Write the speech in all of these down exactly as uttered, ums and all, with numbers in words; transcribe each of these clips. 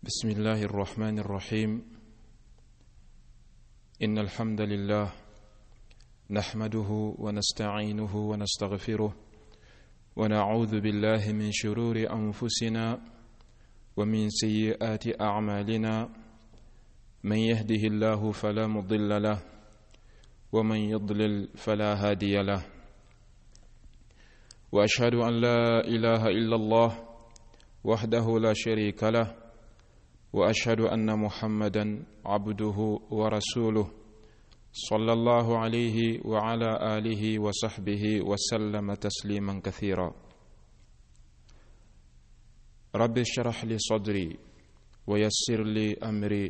بسم الله الرحمن الرحيم. إن الحمد لله نحمده ونستعينه ونستغفره، ونعوذ بالله من شرور أنفسنا ومن سيئات أعمالنا. من يهده الله فلا مضل له، ومن يضلل فلا هادي له. وأشهد أن لا إله إلا الله وحده لا شريك له، وأشهد أن محمدا عبده ورسوله، صلى الله عليه وعلى آله وصحبه وسلم تسليما كثيرا. رب اشرح لي صدري ويسر لي أمري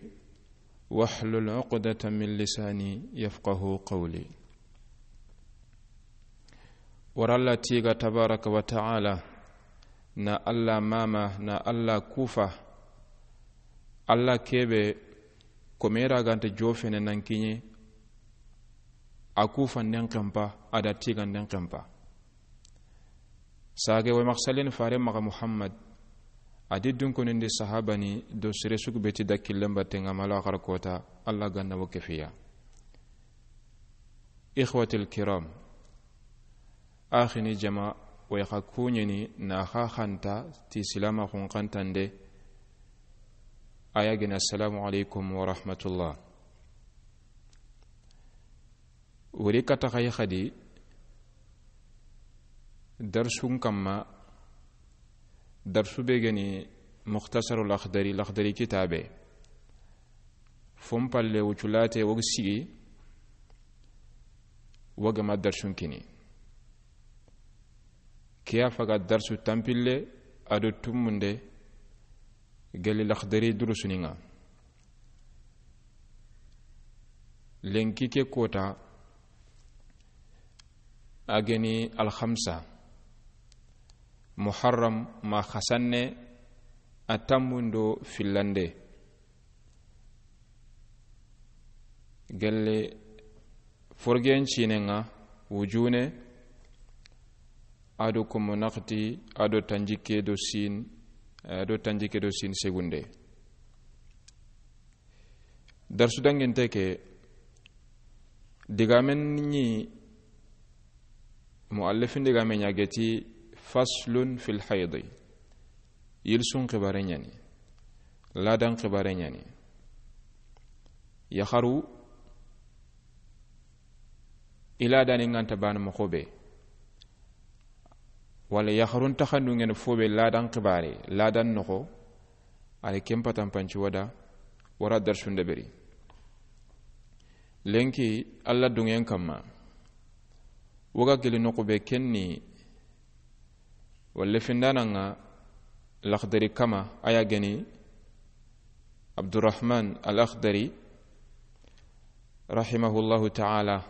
واحلل عقدة من لساني يفقه قولي. Wara Alla tiiga tabaraka wa taala, na Alla mama, na Alla kufa, Alla kebe komera ganta jofene nan kiɲe, a kufa nden kempa, a da tiiga nden kempa. Sage wa maxsalin fare maxa Muhammad, a di dunkonindi sahabani do sere sugu beti da killen batten ŋa ma lo axar kota, Alla ganna wo kefiya. Ikhwatil kiram, axini jama, way xa kuɲeni na xa xanta ti silama xun xantande. Aya gena, assalamu alaikum wa rahmatullah. Wori kata xay xadi darsun kamma, darsu be geni Mukhtasarul Akhdari, Lakhdari kitabe. Fon palle wuculate wogi sigi, woga ma darsun kini. Kiya faga darsu tampille ado tumunde, gelli Lakhdari durusuninga. Lenki ke kota, a geni alhamsa, Muharram ma xasanne, a tammundo fillande. Gelle forgen cinenga wujune, ado komo naxti, ado tanjikke do sin, ado tanjikke do sin segunde. Darsu dangente ke, digamen ni muallifin digame ɲa geti, faslun fil haydi. Yilsun xibare ɲani, ladan xibare ɲani. Yaxaru i ladani nganta bana moxo be, wala yaxarun taxandungene fo be ladan xibare, ladan noxo, a ri ken patanpanci wada, wara darsun deberi. Lenki Alla dungen kamma, woga gili noxu be kenni, walla findananga Lakhdari kama, aya geni Abdurrahman al-Akhdari rahimahullahu ta'ala,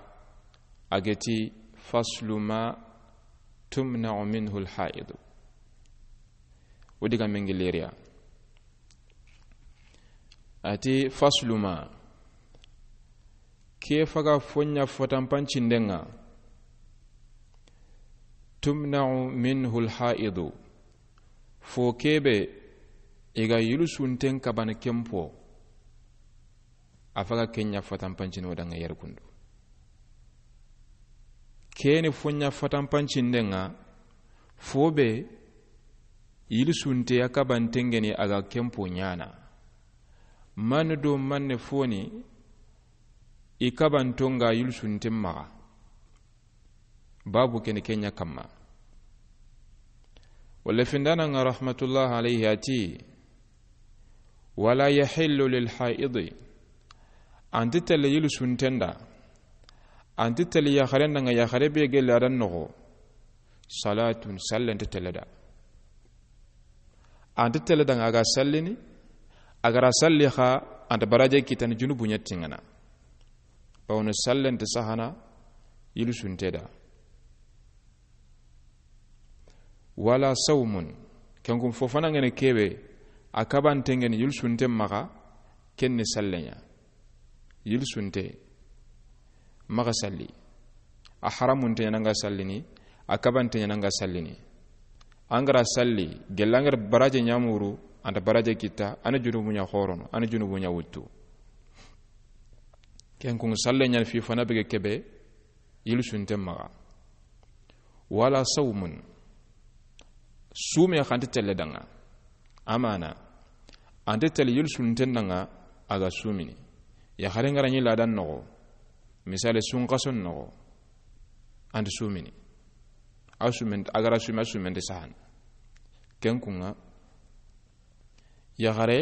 a geti, faslu ma tumna'u minhu al-haidu. Wo diga mengileriya. Ati, faslu ma, ke faga fonya fotanpancindenga, tumna'u minhu al-haidu, fo kebe i ga yilsunten kabana kempo, a faga kenya fotanpancin wadanga yerkundu. Keni fonya fotanpancindenga, fo be yilsunte ya kabantengeni a ga kempo ɲana. Manu do manne foni i kabantonga yilsunten maxa. Babu keni kenya kamma. Walla findananga rahmatullah alayhi ati, wala yahillu lil haidi. Anti telle yilsuntenda, anti telle yaxarendanga, yaxare be gelle adan noxo, salatun, sallente telle da. Anti telle danga a ga sallini, a gara salli xa, anta baraje kitani junubu ɲattingana. Bawno sallente sahana yilsunte da. Wala sawmun, kenkun fofanangene kebe, a kabantengeni yilsunte maxa, kenni salleɲa. Yilsunte maxa salli. A haramunte ɲananga sallini, a kabante ɲananga sallini. Angara salli, gellangara baraje ɲamuru, a nta baraje kitta, a na junubu ɲa xorono, a na junubu ɲa wuttu. Ken kun sallen ɲa ni fi fana bege kebe yilsunten maxa. Wala sawmun, sume xa nta telle danŋa. Amana, a nta telle yilsunten danŋa a ga sumini. Yaxare nga ra ɲi ladan noxo, misale sunxason noxo, a nta sumini. A sumen, a ga ra sumi, a sumen nta sahan. Ken kun ŋa, yaxare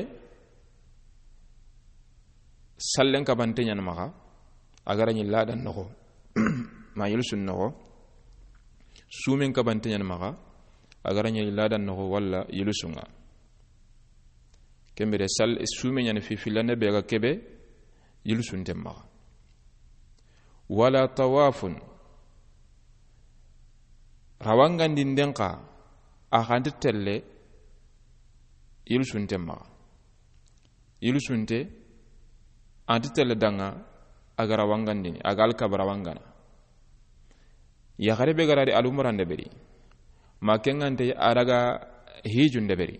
sallen kabante ɲa ni maxa, a ga ra ɲi ladan noxo, ma yilsun noxo, sumen kabante ɲa ni maxa, a ga ra ɲi ladan noxo walla yilsun ŋa. Ken bire sal-, sume ɲa ni fi fillande be ga kebe yilsunten maxa. Wala tawafun, rawangandinden xa, a xa nta telle yilsunten maxa. Yilsunte, a nta telle danŋa a ga rawangandini, a ga alkaba rawangana. Yaxare be ga ra ri alumurande beri, ma ken ŋa nte a daga hijunde beri.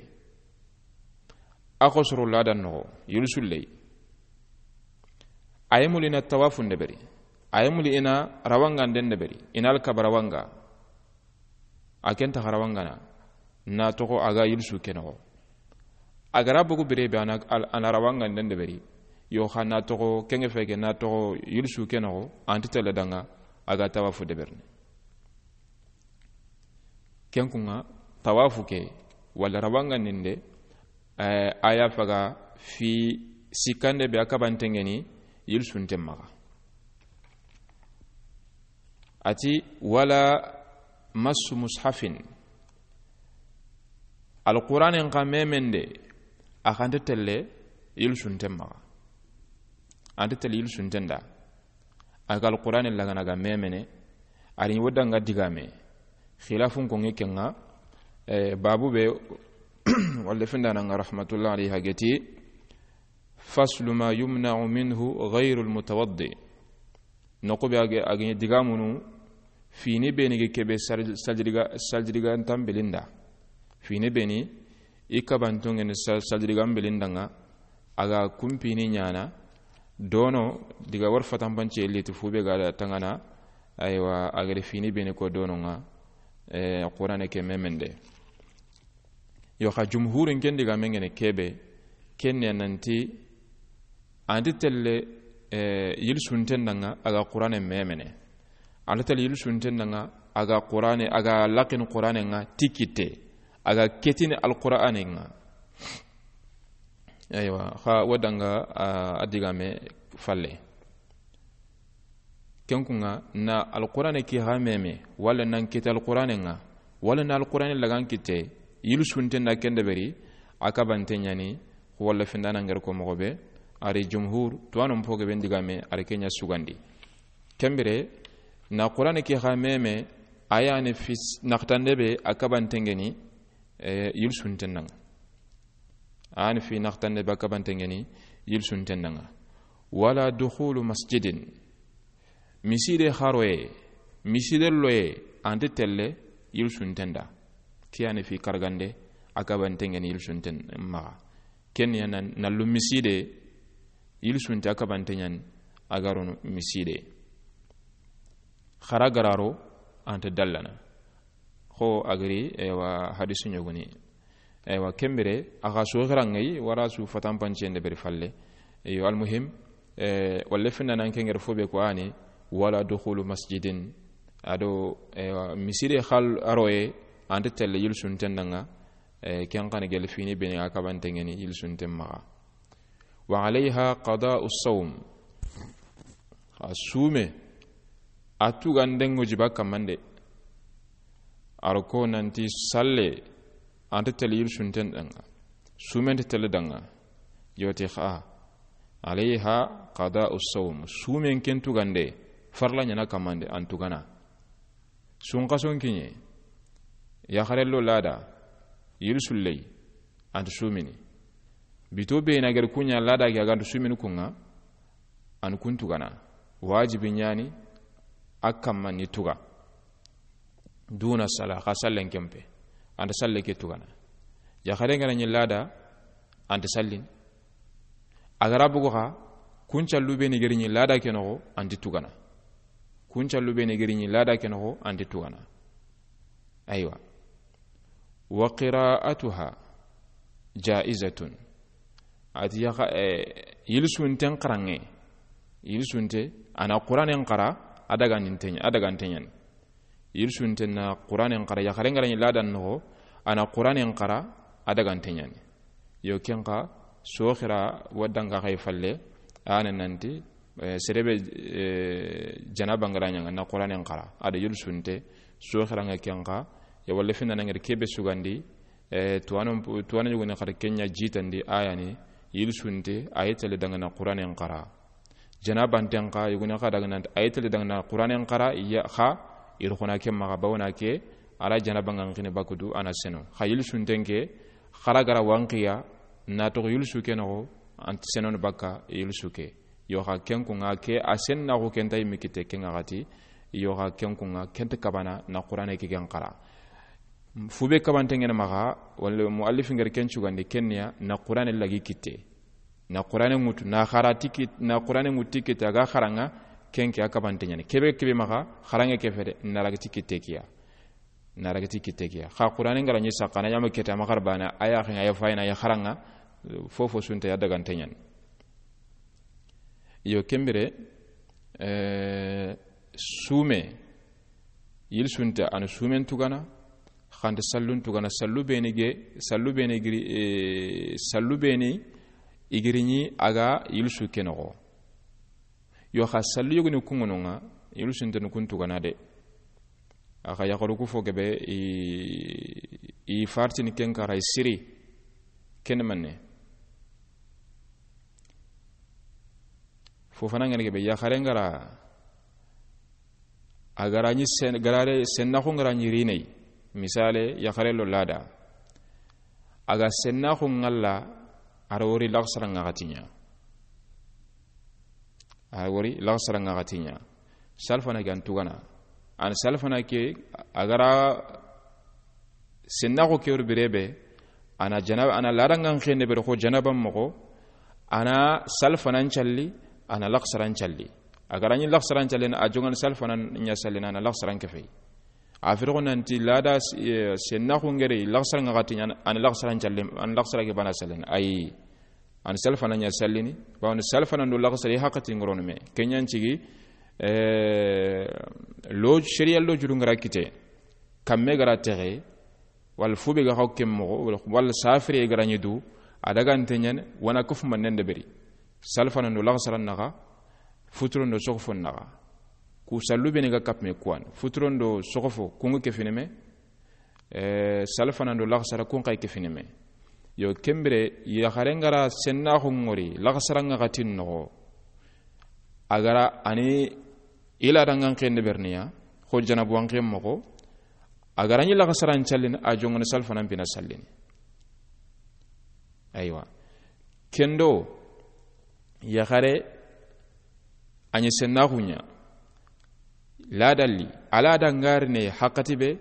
A xosoro ladan noxo, yilsulley. A yi muli i na tawafunde beri, a yi muli i na rawanganden de beri, i na alkaba rawanga. A ken ta xa rawangana, na toxo a ga yilsu ke noxo. A ga ra bogu bire be a na, al-, a na rawanganden de beri. Yo xa na toxo, ken ŋa feke na toxo yilsu ke noxo, a nta telle danŋa a ga tawafu de berni. Ken kun ŋa, tawafu ke, wala rawangandinde, eh, a ya faga fi sikkande be a kabante ŋeni yilsunten maxa. A ti, wala massu mushafin. Alquranen xa memende, a xa nta telle yilsunten maxa. A nta telle yilsunten da. A ga alqurane lagana ga memene, a ri wo danga digame. Xilafun ko ŋi ken ŋa, eh, babu be, wala findana nga rahmatullah alayhi hageti, faslu ma yumna'u minhu ghayru almutawaddi. Noqu be a ga, a ga ɲi digamunu, fini beni ge kebe sal-, saljidiga, saljidiga ntambilinda. Fini beni, i kabantongen sa-, saljidiga mbilinda ŋa, a ga kumpini ɲana, dono, diga war fatanpance liti fu be ga da tangana, aywa, a ga da fini beni ko dono ŋa, eh, Qurane ke memende. Yo xa jumhurin ken digamen ŋene kebe, ken ne nanti, a nta telle, eh, yilsunten danŋa a ga Qurane memene. A nta telle yilsunten danŋa a ga Qurane, a ga lakin Qurane ŋa ti kitte, a ga ketini alqurane ŋa. Aywa, xa wo danga, a, a digame falle. Ken kun ŋa, na alqurane ki xa meme, wala nan kite alqurane ŋa, wala na alqurane lagan kite, yilsunten da ken de beri, a kabante ɲani, wala findana ŋer ko moxo be, a ri jumhur, tuwanon poge ben digame, a ri ken ɲa sugandi. Ken bire, na qurane ki xa meme, a ya ni fi naxtande be, a kabante ŋeni, eh, yilsunten danŋa. A ni fi naxtande be a kabante ŋeni yilsunten danŋa. Wala dukhulu masjidin. Miside xaroye, miside loye, a nta telle yilsunten da. Ke ya ni fi kargande, a kabante ŋeni yilsunten maxa. Ken ya na, na lu miside, yilsunte a kabante ɲani, a ga rono miside. Xara ga ra ro, a nta dallana. Xo a ga ri, ewa, hadisu ɲogoni. Ewa, ken bire, a xa su xiranŋayi, wara su fatanpancen de beri falle. Eyo, almuhim, eh, wala findana ken ŋer fo be ko a ni, wala dukhulu masjidin. A do, ewa, miside xal aroye, a nta telle yilsunten danŋa, eh, ken xa ni gel fini beni a kabante ŋeni yilsunten maxa. Wa alayha qada'u sawm. A sume, a tuganden ŋo jiba kamande. A ro ko nanti salle, a nta telle yilsunten danŋa, sumen nta telle danŋa. Yoti xa, alayha qada'u sawm. Sumen ken tugande, farla ɲana kamande, an tugana. Sunxason kiɲe, yaxarello lada, yilsulley, a nta sumini. Bito be na gari kuɲa lada ke a ga nta sumini kun ŋa, an kun tugana. Wajibi ɲani, a kamma ni tuga. Duna sala, xa sallen kempe. A nta salle ke tugana. Yaxare nga na ɲi lada, An ti sallini. A ga ra bugu xa, kun callu be ni giri ɲi lada ke noxo, an ti tugana. Kun callu be ni giri ɲi lada ke noxo, an ti tugana. Aywa. Wa qira'atuha ja'izatun. A ti yaxa, eh, yilsunten xaranŋe. Yilsunte, a na Quranen xara, a daganten ɲa, a daganten ɲa ni. Yilsunte na Quranen xara, yaxaren ga ra ɲi ladan noxo, a na Quranen xara, a daganten ɲa ni. Yo, ken xa, soxira wa danga xay falle, a na nanti, eh, sere be, eh, janaba nga ra ɲaŋa na Quranen xara, a da yilsunte, soxira nga ken xa, ya walla finna na ngari ke be sugandi, eh, tuwano, tuwano yuguni xar ken ɲa jitandi, a ya ni, yilsunte, a yi tele danga na Quranen xara. Janabanten xa, yuguni xa daga nan, a yi tele danga na Quranen xara, ya xa, i ri xo na ke maxa, bawo na ke, a ra janaba nga n xini bakudu, a na seno. Xa yilsunten ke, xara ga ra wanqiya, na toxo yilsu ke noxo, an ti senoni bakka yilsu ke. Yo xa ken kun ŋa ke, a sennaxu ken ta yimmi kitte ken ŋa xati, yo xa ken kun ŋa ken ta kabana na Qurane ke ken xara. Fu be kabanten ŋene maxa, walla muallifin ga ri ken cugandi, ken ni ya na Qurane lagi kitte. Na Qurane ŋutu, na xara ti kit-, na Qurane ŋutu ti kitte, a ga xaranŋa, ken ke a kabanten ɲa ni. Ke be, ke be maxa, xaranŋe ke fede, na ragi ti kitte ke ya. Na ragi ti kitte ke ya. Xa Qurane nga ra ɲi saxa, a na ɲaama kitte, a ma xara bana, a ya xenŋa, a ya fayina, a ya xaranŋa, fofo sunte ya daganten ɲa ni. Yo, ken bire, eh, sume, yilsunte, a na sumen tugana, xa nta sallun tugana, sallu be ni ge, sallu be ni giri, eh, sallu be ni i giri ɲi a ga yilsu ke noxo. Yo, xa sallu yogoni kun ŋono ŋa, yilsunte ni kun tugana de. A xa yaxaru ku fo gebe, i, i fartini ken kaxa i siri, ken manne. Fofana ŋene gebe, yaxare nga ra, a ga ra ɲi sen-, garare sennaxu nga ra ɲi rinei. Misale, yaxare lo lada. A ga sennaxu ŋalla, a ra wori laxasara ŋaxati ɲa. A ra wori laxasara ŋaxati ɲa. Salfana ke an tugana. An salfana ke, a ga ra sennaxu ke wori bire be, a na janaba, a na lada nga n xenne bere xo janaba moxo, a na salfanan calli, a na laxasaran calli. A ga ra ɲi laxasaran calli, a jongan salfanan ɲa sallini, a na laxasaran ke fey. A firi xo nanti lada, eh, sennaxu nga ri laxasara ŋaxati ɲa, a na laxasaran calli, a na laxasara ke bana sallini. Ayi. An salfana ɲa sallini, bawoni salfana ndo laxasara i haqqati ngorono me. Ken ɲa n cigi, eh, lo, sharia lo juru nga ra kite. Kamme ga ra texe, walla fu be ga xaw ken moxo, walla, walla safire ga ra ɲi du, a daganten ɲa ni, wa na kufu mannen de beri. Salfana ndo laxasara naxa, futuro ndo soxofo naxa. Ku sallu be ni ga kappe me kuwan. Futuro ndo soxofo, ku nga ke fini me, eh, salfana ndo laxasara kun xa yi ke fini me. Yo, ken bire, yaxare nga ra sennaxu ŋori, laxasara ŋaxati noxo. A ga ra a ni i lada nga n xenne berni ya, xo janabu wa n xen moxo. A ga ra ɲi laxasaran callini, a jongoni salfanan pina sallini. Aywa. Ken do, yaxare, a ɲi sennaxu ɲa. Ladalli, a lada nga ri ne haqqati be,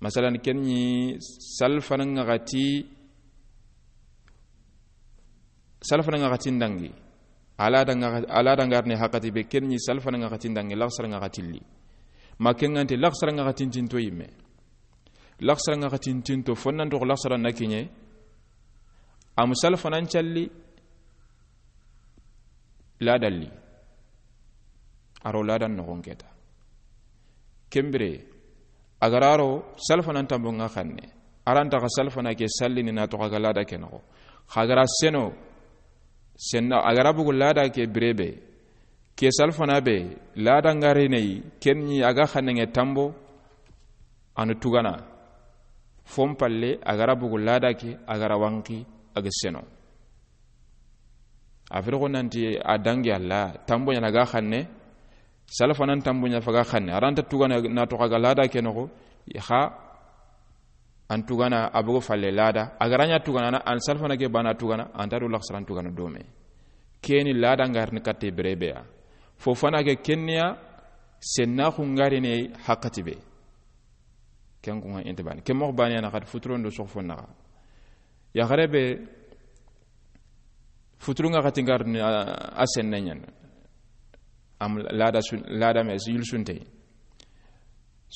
masalan, ken ɲi salfana ŋaxati, salfana ŋaxati ndangi. A lada nga, a lada nga ri ne haqqati be, ken ɲi salfana ŋaxati ndangi, laxasara ŋaxati li. Ma ken ŋa nti laxasara ŋaxati ntinto yimme. Laxasara ŋaxati ntinto, fo nan toxo laxasara na kiɲe, a mu salfanan calli, ladalli. A ro ladan noxon keta. Ken bire, a ga ra ro, salfanan tambo nga xanne. A ra nta xa salfana ke sallini na toxo a ga lada ke noxo. Xa ga ra seno, senna, a ga ra bugu lada ke bire be. Ke salfana be, lada nga ri ne yi, ken ɲi a ga xanne ŋe tambo, a na tugana. Fon palle, a ga ra bugu lada ke, a ga ra wanqi, a ga seno. A firi xo nanti a dangi Alla, tambo ɲa na ga xanne, salfanan tambo ɲa fa ga xanne. A ra nta tugana na toxo a ga lada ke noxo, xa an tugana a bogo falle lada. A ga ra ɲa tugana na an salfana ke bana tugana, an ta do laxasaran tugana dome. Keni lada nga ri ni katte bire be ya. Fofana ke ken ni ya, sennaxu nga ri ne haqqati be. Ken kun ŋa inta bani. Ken moxo bani ya na xati futuro ndo soxofo naxa. Yaxare be, Futuru ŋaxati ŋarini a, a senne ɲani. Am lada sun, lada me yilsunte.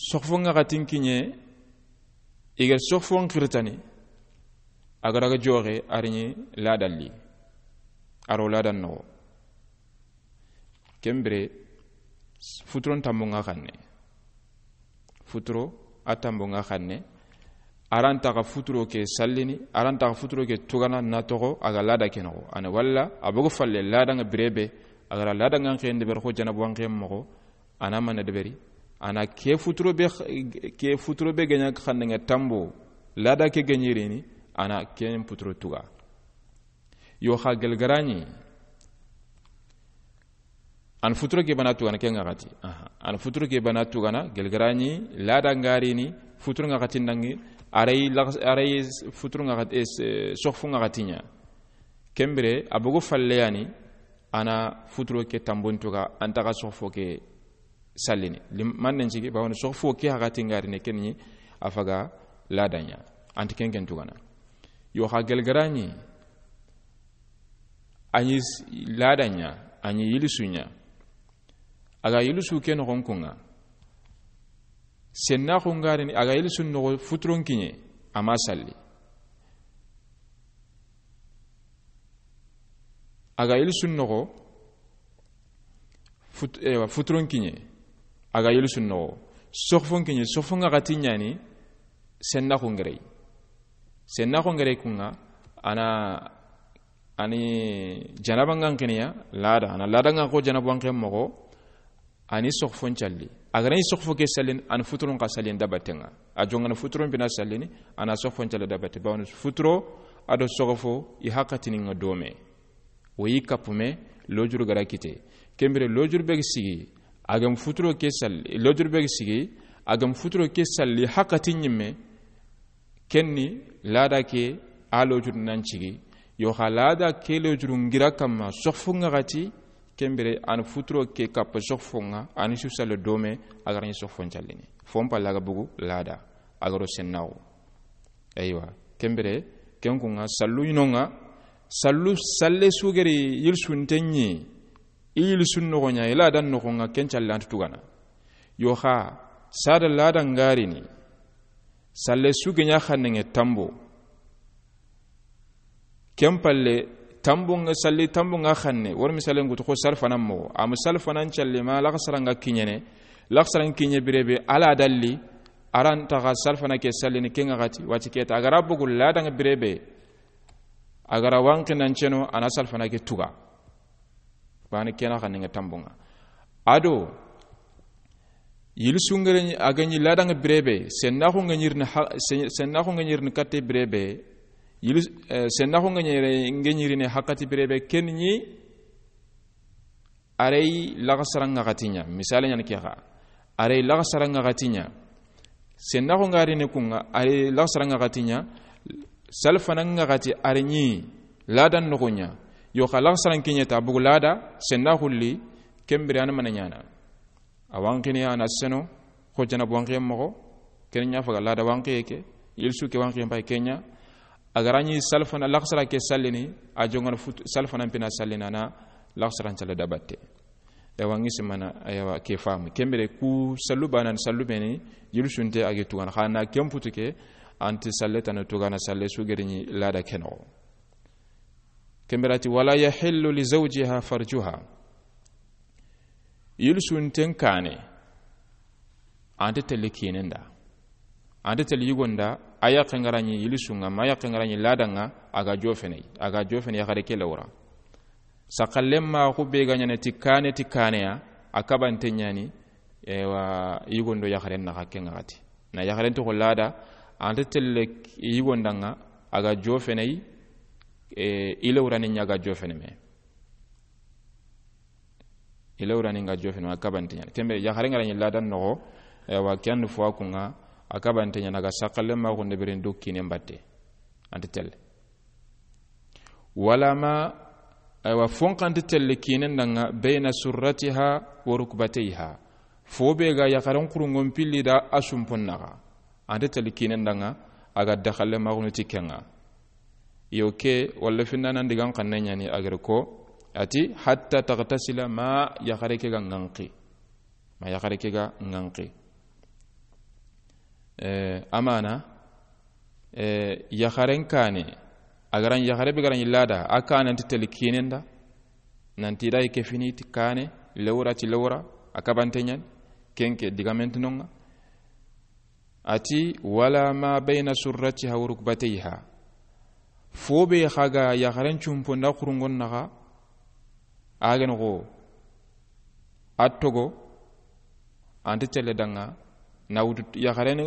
Soxfo ŋaxatin kiɲe, i ga soxfon xiritani, a ga daga joxe, a ri ɲi ladalli, a ro ladan noxo. Ken bire, futuron tambo ŋa xanne. Futuro a tambo ŋa xanne. A ra nta xa futuro ke sallini, a ra nta xa futuro ke tugana na toxo a ga lada ke noxo. A na walla a bogu falle lada ŋa birebe, a ga ra lada ŋa xende ber xo janabu an xen moxo, a na mana deberi, a na ke futuro be, ke futuro be ga ɲa xanne ŋa tambo, lada ke ga ɲi rini, a na ken futuro tuga. Yo xa gelgaraɲi, an futuro ke bana tugana ke ŋaxati. Aha. An futuro ke bana tugana, gelgaraɲi, lada ŋarini, futuro ŋaxati ndangi, a ri lax-, a ri futuro ŋaxati, eh, soxfo ŋaxati ɲa. Ken bire, a bogu falle yani, a na futuro ke tambon tuga, a nta xa soxfo ke sallini. Lim-, man nen cigi, bawoni soxfo ke haxati ŋarini ken ɲi, a faga lada ɲa. A nta ken ken tugana. Yo xa gelgaraɲi, a ɲi s-, lada ɲa, a ɲi yilisu ɲa. A ga yilisu ke noxon kuŋa. Sennaxu ŋarini, a ga yilisu noxo futuron kiɲe, a ma salli. A ga yilisu noxo fut-, ewa, futuron kiɲe, a ga yilisu noxo. Soxfon kiɲe, soxfo ŋaxati ɲani, sennaxu ŋerey. Sennaxu ŋerey kuŋa, a na, a ni janaba ŋa xiniya, lada, a na lada ŋa xo janabu an xen moxo, a ni soxfon calli. A ga ra ɲi soxfo ke sallini, a ni futuron xa sallini dabatte ŋa. A joŋa na futuron bina sallini, a na soxfon calli dabatte. Bawoni futuro, a do soxfo, i haxatini ŋa dome. Wo yi kapume, lojuru ga ra kite. Ken bire lojuru be ga sigi, a ga ma futuro ke salli, lojuru be ga sigi, a ga ma futuro ke salli, haxati ɲimme, ken ni lada ke a lojuru nan cigi. Yo xa lada ke lojuru ŋira kamma soxfo ŋaxati, ken bire a na futuro ke kappa soxfo ŋa, a ni su salle dome, a ga ra ɲi soxfon callini. Fon palla ga bogu lada, a ga ro sennaxu. Eywa, ken bire, ken kuŋa, sallu ɲi no ŋa, sallu, salle su geri yilisunte ɲi, i yilisun noxo ɲa, i ladan noxo ŋa, ken calle a nta tugana. Yo xa, sada lada ŋarini, salle su ge ɲa xanne ŋe tambo. Ken palle, tambo ŋa, salli tambo ŋa xanne, wori misalen gutu xo salfanan moxo, a ma salfanan calle ma laxasara ŋa kiɲene, laxasaran kiɲe birebe, a la dalli, a ra nta xa salfana ke sallini ke ŋaxati, wati keta, a ga ra bogu lada ŋa birebe, a ga ra wanqi nan ceno, a na salfana ke tuga. Bani kena xanne ŋa tambo ŋa. A do, yilisu ŋere ɲi, a ga ɲi lada ŋa birebe, sennaxu ŋa ɲirini ha-, sen-, sennaxu ŋa ɲirini katte birebe, yilis-, eh, sennaxu ŋa ɲere-, ŋa ɲirini haxati birebe, ken ɲi, a ri laxasara ŋaxati ɲa, misale ɲani ke xa, a ri laxasara ŋaxati ɲa, sennaxu ŋa rini kuŋa, a ri laxasara ŋaxati ɲa, salfana ŋaxati a ri ɲi, ladan noxo ɲa, yo xa laxasaran kiɲe ta bogu lada, sennaxu li, ken bire a na mana ɲana. A wanqini a na seno, xo janabu wanqiye moxo, ken ɲa faga lada wanqiye ke, yilisu ke wanqiye mbay ke ɲa, a ga ra ɲi salfana laxasara ke sallini, a joŋana fut-, salfana mpina sallini a na laxasaran calle dabatte. Ewa, ŋi simana, ewa, ke famu. Ken bire ku sallu banan sallu beni, yilisunte a gi tugana. Xa na ken putu ke, a nti salle tana tugana salle su geri ɲi lada ke noxo. Ken bire a ti, "Wala yahillu li zawjiha farjuha." Yilisunten kane, a nta telle kinen da. A nta telle yigon da, a yaxe ŋa ra ɲi yilisu ŋa, ma yaxe ŋa ra ɲi lada ŋa, a ga jofene, a ga jofene yaxare ke lawra. Saxallen ma xu be ga ɲana ti kane, ti kane ya, a kabante ɲani, ewa, yigon do yaxaren naxa ke ŋaxati. Na yaxaren toxo lada, a nta telle yigon da ŋa, a ga jofene, e, i lawrani ɲa ga jofene me. I lawrani ŋa jofene, a kabante ɲana. Ken bire, yaxare ŋa ra ɲi ladan noxo, ewa, ken fo a kuŋa, a kabante ɲana ga saxallen ma xunde biren do kinen batte. A nta telle. Wala ma, ewa, fon xa nta telle kinen da ŋa, bayna surratiha wa rukbatayha. Fo be ga yaxaren xurunŋon pilli da a sumpon naxa. A nta telle kinen da ŋa, a ga daxalle ma xunu ti ke ŋa. Yo ke, walla findanan digan xanne ɲani a gere ko, a ti, hatta taghtasila, ma yaxare ke ga ŋanqi. Ma yaxare ke ga ŋanqi. Eh, amana, eh, yaxaren kaane, a ga ra ɲi yaxare be ga ra ɲi lada, a kaane nti teli kiinen da, nanti da i ke fini ti kaane, lewra ti lewra, a kabante ɲani, ken ke digamentinonŋa. A ti, wala ma bayna surratiha wa rukbatayha. Fo be xa ga yaxaren cumpo nda xurungon naxa, a gene xo, a togo, a nti telle danŋa, na wutu yaxaren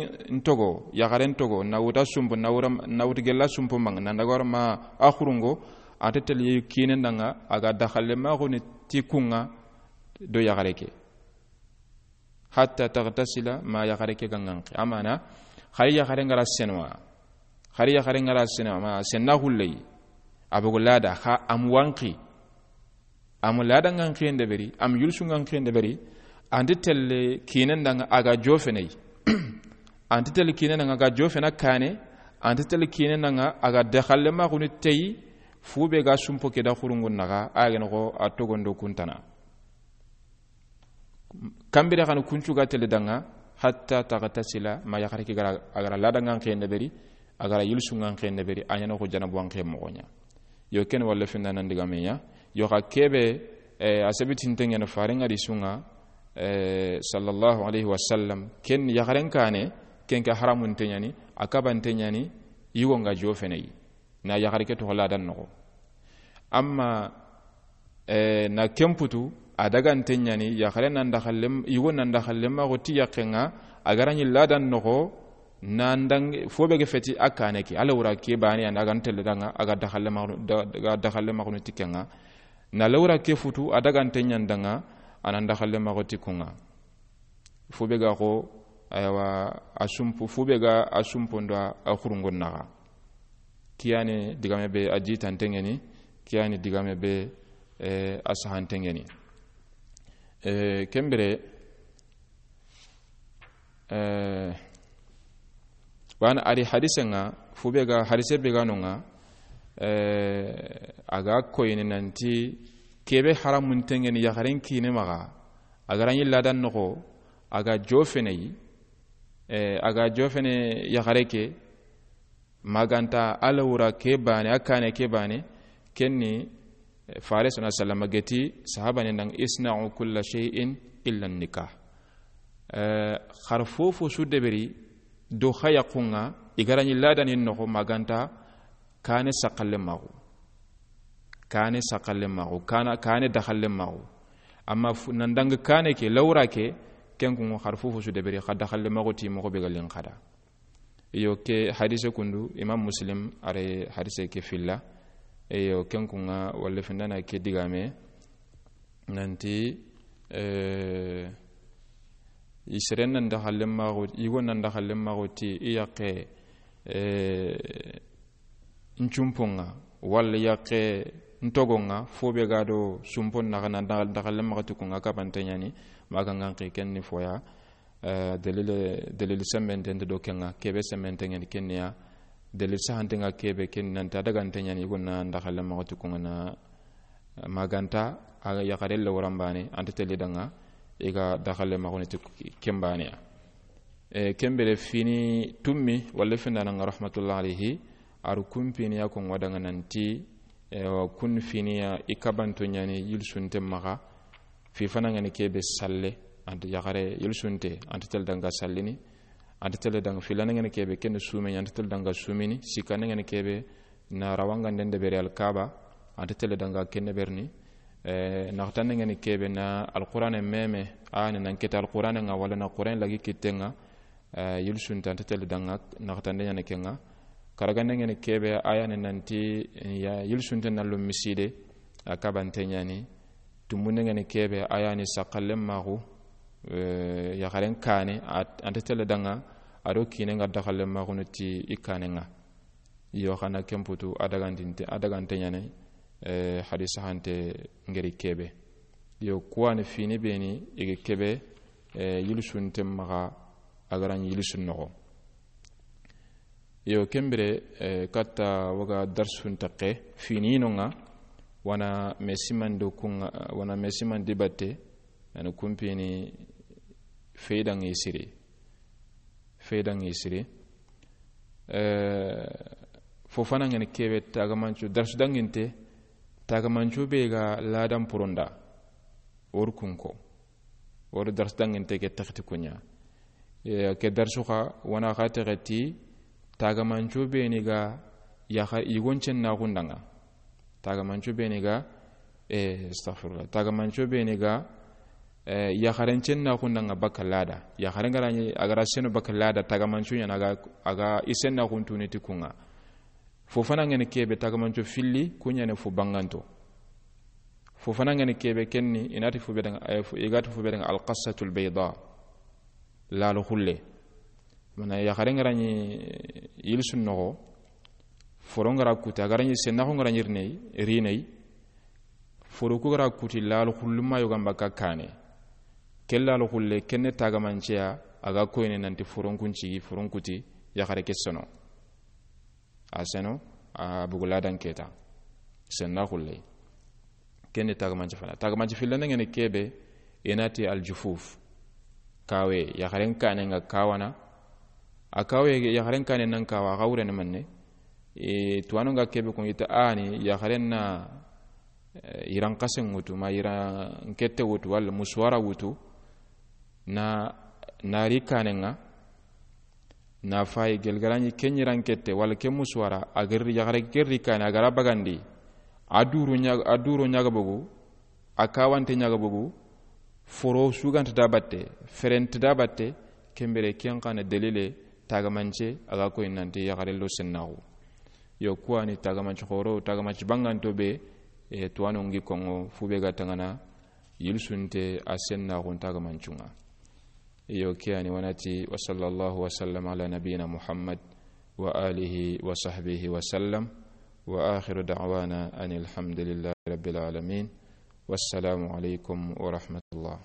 togo, yaxaren togo, na wuta sumpo, na wura, na wutu gella sumpo maŋa, na ndagor ma a xurungo, a nti telle kiinen danŋa, a ga daxalle maxu ni ti kunŋa do yaxare ke. Hatta taghtasila, ma yaxare ke ga ŋanqi. Amana, xari yaxare ŋa ra senwa. Xari yaxare ŋa ra senwa, ma senna xulley. A bogo lada, xa am wanqi. Am lada ŋanqiyen deberi, am yulsu ŋanqiyen deberi. A nti telle kiinen danŋa a ga jofeney. A nti telle kiinen danŋa a ga jofena kaane. A nti telle kiinen danŋa a ga daxalle maxu ni tey, fu be ga sumpo ke da xurungun naxa, a gene xo a togondo kuntana. Kambire xani kuncu ga tele danŋa, hatta taghtasila, ma yaxare ke ga ra, a ga ra lada ŋanqiyen deberi, a ga ra yilsu ŋanqiyen deberi, a ɲana xo janabu wanqiyen moxo ɲa. Yo ken walla findanan digame ɲa. Yo xa kebe, eh, a sabitinte ŋene faren ŋa di sunŋa, eh, sallallahu alayhi wa sallam, ken yaxaren kaane, ken ke haramunte ɲani, a kabante ɲani, yigo ŋa jofeney. Na yaxare ke toxo ladan noxo. Amma, eh, na kemputu, a dagante ɲani, yaxare nan daxallem, yigo nan daxallem maxo ti yaqqe ŋa, a ga ra ɲi ladan noxo, nan dang, fo be ge feti a kaane ke, a lewra ke baane, a ga n telle danŋa, a ga daxalle maxu, da, da, daxalle maxu ni ti ke ŋa. Na lewra ke futu, a dagante ɲan danŋa, a nan daxalle maxo ti kunŋa. Fo be ga xo, aywa, a sumpu, fo be ga a sumpondo a, a xurungon naxa. Kiyani digame be a jitante ŋeni, kiyani digame be, eh, a sahante ŋeni. Eh, kembire, eh, Wana ari hadise ŋa, fu be ga hadise be ga no ŋa, eh, a ga koyini nanti kebe haramunte ŋeni yaxaren kiine maxa, a ga ra ɲi ladan noxo, a ga jofeney, eh, a ga jofene yaxare ke, ma ga nta a lewra ke baane, a kaane ke baane, kenni, eh, Fare sona sallama geti, sahabane nang, "Isna'u kulla shay'in illa nikah." Eh, xar fofo su deberi do xa yaxun ŋa, i ga ra ɲi ladanin noxo ma ga nta kaane saxalle maxu. Kaane saxalle maxu, kaana, kaane daxalle maxu. Amma fu, nan dang kaane ke, lawra ke, ken kun xar fofo su deberi, xa daxalle maxu ti moxo be ga lin xada. Iyo, ke hadise kundu, Imam Muslim are hadise ke filla. Iyo, ken kun ŋa, walla findana ke digame, nanti, eh, i seren nan daxalle maxu, yigo nan daxalle maxu ti i yaqqe, eh, ncumponŋa, walla yaqqe ntogonŋa, fo be ga do sumpon naxa na da-, daxalle maxa ti kunŋa kabante ɲani, maxa ŋanqi ken ni foya, eh, dalil, dalil sembente nte do kenŋa, kebe sembente ŋeni kenniya, dalil sahante ŋa kebe ken nanti a dagante ɲani, i gonna daxalle maxa ti kunŋa na, ma ga nta a yaxare lawran baane, anta teli danŋa, i ga daxalle maxu ni ti ken baaneya. E, kembere fini tummi, walla findana ŋa rahmatullah alayhi, aru kumpini ya ko ŋo daga nanti, e, wa kun fini ya i kabanto ɲani yilsunte maxa, fi fana ŋani kebe salle, anta yaxare yilsunte, anta tel danga sallini, anta tel danga filana ŋani kebe ken sumeni, anta tel danga sumini, sikana ŋani kebe na rawanga ndende bere alkaba, anta tel danga kenne berni, e, naxtana ŋani kebe na alqur'ane meme, a ni nan keta alqur'ane ŋa wala na qur'an lagi kitenŋa, eh, yilsunte anta teli danŋa, naxatande ɲani kenŋa. Karagande ŋeni kebe, a yani nanti, ya, yilsunte na lo miside, a kabante ɲani. Tumbunde ŋeni kebe, a yani saxallen maxu, eh, yaxaren kane, a, anta teli danŋa, a do kine ŋa daxallen maxu no ti i kane ŋa. Yo, xana kemputu, a dagantinte, a dagante ɲani, eh, hadisa hante ŋeri kebe. Yo, kuwani fini beni, i ga kebe, eh, yilsunte maxa, a ga ra ɲi yilsun noxo. Yo, ken bire, eh, katta waga darsun taqe fini nonga, wana mesimando kunga, wana mesimandi batte, yani kumpini feydangi siri. Feydangi siri. Eh, fo fana ngene kebe tagamancu, darsu danginte, tagamancu be ga ladan puronda. Or kunko. Or darsu danginte ke taxti kunya. Eh, ke darsu xa wana xa texeti tagamancu be ni ga yaxa igoncen na gundanga. Tagamancu be ni ga, eh, astaghfirullah. Tagamancu be ni ga, eh, yaxarencen na gundanga baka lada. Yaxaren garani agara seno baka lada, tagamancu yana aga, aga isen na guntuni ti kunga. Fo fana ngene kebe tagamancu filli, kunya ne fo banganto. Fo fana ngene kebe kenni, inati fo bedanga, eh, fo, igati fo bedanga al-qassatul bayda. Lalo xulle. Mana yaxaren garani yilsun noxo, foron gara kuti, agarani sennaxo garani rinei, rinei, foro ku gara kuti lalo xulluma yogamba ka kane. Ke lalo xulle, kenne tagamanceya, aga koyne nanti foron kuncigi, foron kuti, yaxare ke sono. A seno, a bugu ladan keta. Senna xulle. Kenne tagamanci fana. Tagamanci fillana ngene kebe, inati aljufuf. Kawe, yaxaren kane nga kawana. A kawe, yaxaren kane nan kawa, a xa wurene manne. E, tuwano nga kebe kun ita ani, yaxaren na, eh, iran kasen wutu, ma iran kette wutu, wala musuwara wutu. Na, nari kane nga. Na fayi gelgarani ke ɲiran kette, wala ke musuwara, a gerri yaxare gerri kane, a gara bagandi. A duru ɲa-, a duro ɲaga bogu, a kawante ɲaga bogu, foro suganta da batte, ferente da batte, kembere ken xana delile, tagamance, a ga koy nanti yaxare lo sennaxu. Yo, kuwani tagamance xoro, tagamance banganto be, e, tuwano ngi kongo, fu be ga tangana, yilsunte a sennaxun tagamancunga. Iyo, ke yani wanati, wa sallallahu wa sallam ala nabiyina Muhammad wa alihi wa sahbihi wa sallam. Wa akhiru da'wana anil hamdulillahi rabbil alamin. Wassalamu alaikum wa rahmatullah.